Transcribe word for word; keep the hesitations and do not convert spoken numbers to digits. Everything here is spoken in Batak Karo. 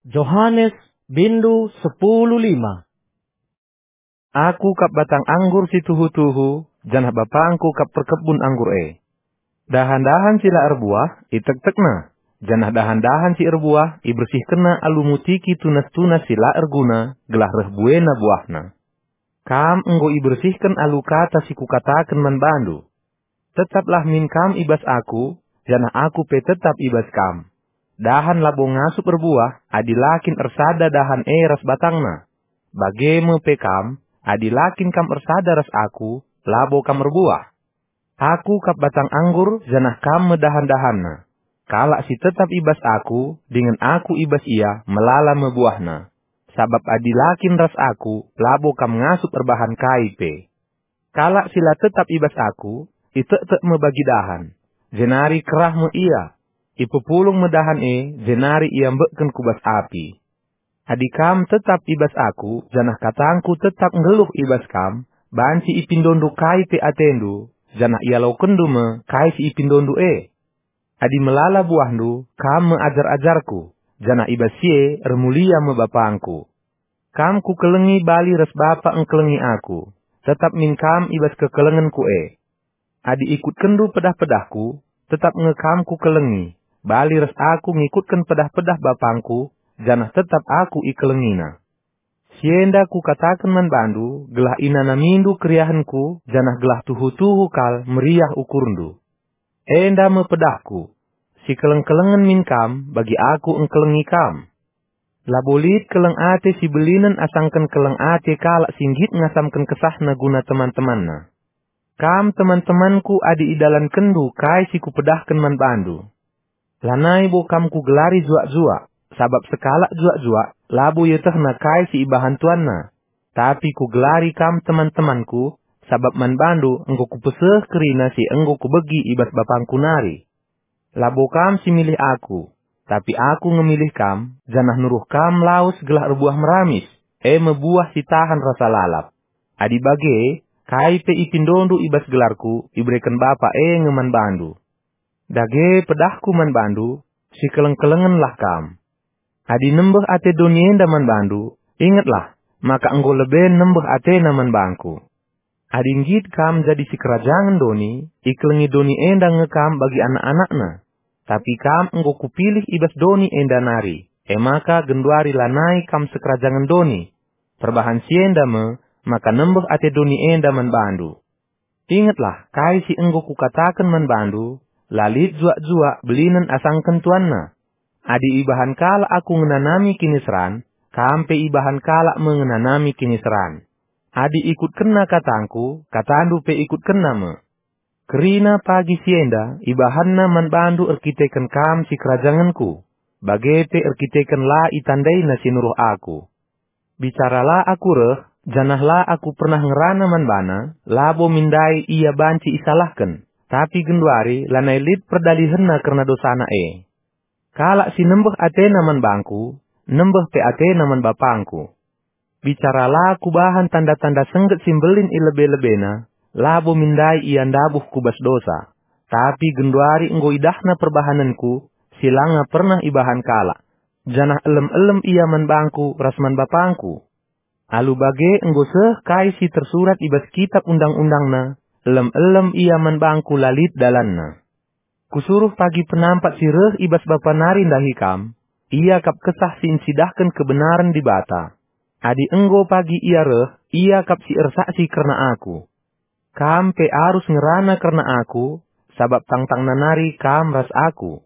Johanes, bindu sepuluh lima. Aku kap batang anggur si tuhu-tuhu, janah BapangKu kap perkebun anggur e. Dahan-dahan si la erbuah, itektekNa, janah dahan-dahan si erbuah, ibersihkenNa alu mutiki tunas-tunas si la erguna, gelah reh buena buahna. Kam enggo ibersihken alu kata si Kukataken man bandu. Tetaplah min kam i bas Aku, janah Aku pe tetap i bas kam. Dahan labo ngasup erbuah, adi la kin ersada dahan e ras batangna. Bage me pe kam, adi la kin kam ersada ras Aku, labo kam erbuah. Aku kap batang anggur, janah kam me dahan-dahanna. Kalak si tetap i bas Aku, dingen Aku i bas ia, melala me buahna. Sabap adi la kin ras Aku, labo kam ngasup erbahan kai pe. Kalak si la tetap i bas Aku, itektek me bagi dahan, jenari kerah me ia. Ipepulung me dahan e, jenari iambekken ku bas api. Adi kam tetap i bas Aku, janah katangKu tetap nggeluh i bas kam, banci ipindondu kai pe atendu, janah ialokenndu me kai si ipindondu e. Adi melala buahndu, kam me ajar-ajarKu, janah i bas si e ermulia me BapangKu. Kam Kukelengi bali ras Bapa engkelengi Aku, tetap min kam i bas kekelengenKu e. Adi ikutkenndu pedah-pedahKu, tetap nge kam Kukelengi, bali ras Aku ngikutken pedah-pedah BapangKu, janah tetap Aku ikelengiNa. Si enda Kukataken man bandu, gelah inanamindu keriahenKu, janah gelah tuhu-tuhu kal meriah ukurndu. Enda me pedahKu, sikeleng-kelengen min kam, bagi Aku engkelengi kam. Labo lit keleng ate si belinen asangken keleng ate kalak si nggit ngasamken kesahna guna teman-temanna. Kam teman-temanKu adi idalankenndu kai si Kupedahken man bandu. Lanai bo kam Kugelari juak-juak, sabap sekalak juak-juak labo ietehna kai si ibahan tuanna. Tapi Kugelari kam teman-temanKu, sabap man bandu enggo Kupeseh kerina si enggo Kubegi i bas BapangKu nari. Labo kam si milih Aku, tapi Aku nge milih kam, janah nuruh kam lawes gelah erbuah meramis, e me buah si tahan rasa lalap. Adi bage, kai pe ipindondu i bas gelarKu, ibereken Bapa e nge man bandu. Dage pedahKu man bandu, sikeleng-kelengenlah kam. Adi nembeh ate doni enda man bandu, ingetlah, maka enggo leben nembeh atena man bangKu. Adi nggit kam jadi sikerajangen doni, ikelengi doni enda nge kam bagi anak-anakna. Tapi kam enggo Kupilih i bas doni enda nari, e maka genduari lanai kam sikerajangen doni. Perbahan si enda me, maka nembeh ate doni enda man bandu. Ingetlah kai si enggo Kukataken man bandu, la lit juak-juak belinen asangken tuanna. Adi ibahan kalak Aku ngenanami kiniseran, kam pe ibahan kalak me ngenanami kiniseran. Adi ikutkenna katangKu, katandu pe ikutkenna me. Kerina pagi si enda ibahanna man bandu erkiteken kam sikerajangenKu, bage pe erkiteken la itandaina si nuruh Aku. Bicara la Aku reh, janah la Aku pernah ngerana man bana, labo min ndai ia banci isalahken, tapi genduari lanai lit perdalihenna kerna dosana e. Kalak si nembeh atena man bangKu, nembeh pe atena man BapangKu. Bicara la Kubahan tanda-tanda sengget si mbelin i lebe-lebena, labo min ndai ia ndabuh ku bas dosa. Tapi genduari enggo idahna perbahanenKu, si langa pernah ibahan kalak, janah elem-elem ia man bangKu ras man BapangKu. Alu bage enggo seh kai si tersurat i bas Kitap Undang-undangna, elem-elem ia man bangKu la lit dalanna. Kusuruh pagi penampat si reh i bas Bapa nari ndahi kam, ia kap Kesah si ncidahken kebenaren Dibata. Adi enggo pagi ia reh, ia kap si ersaksi kerna Aku. Kam pe arus ngerana kerna Aku, sabap tangtangna nari kam ras Aku.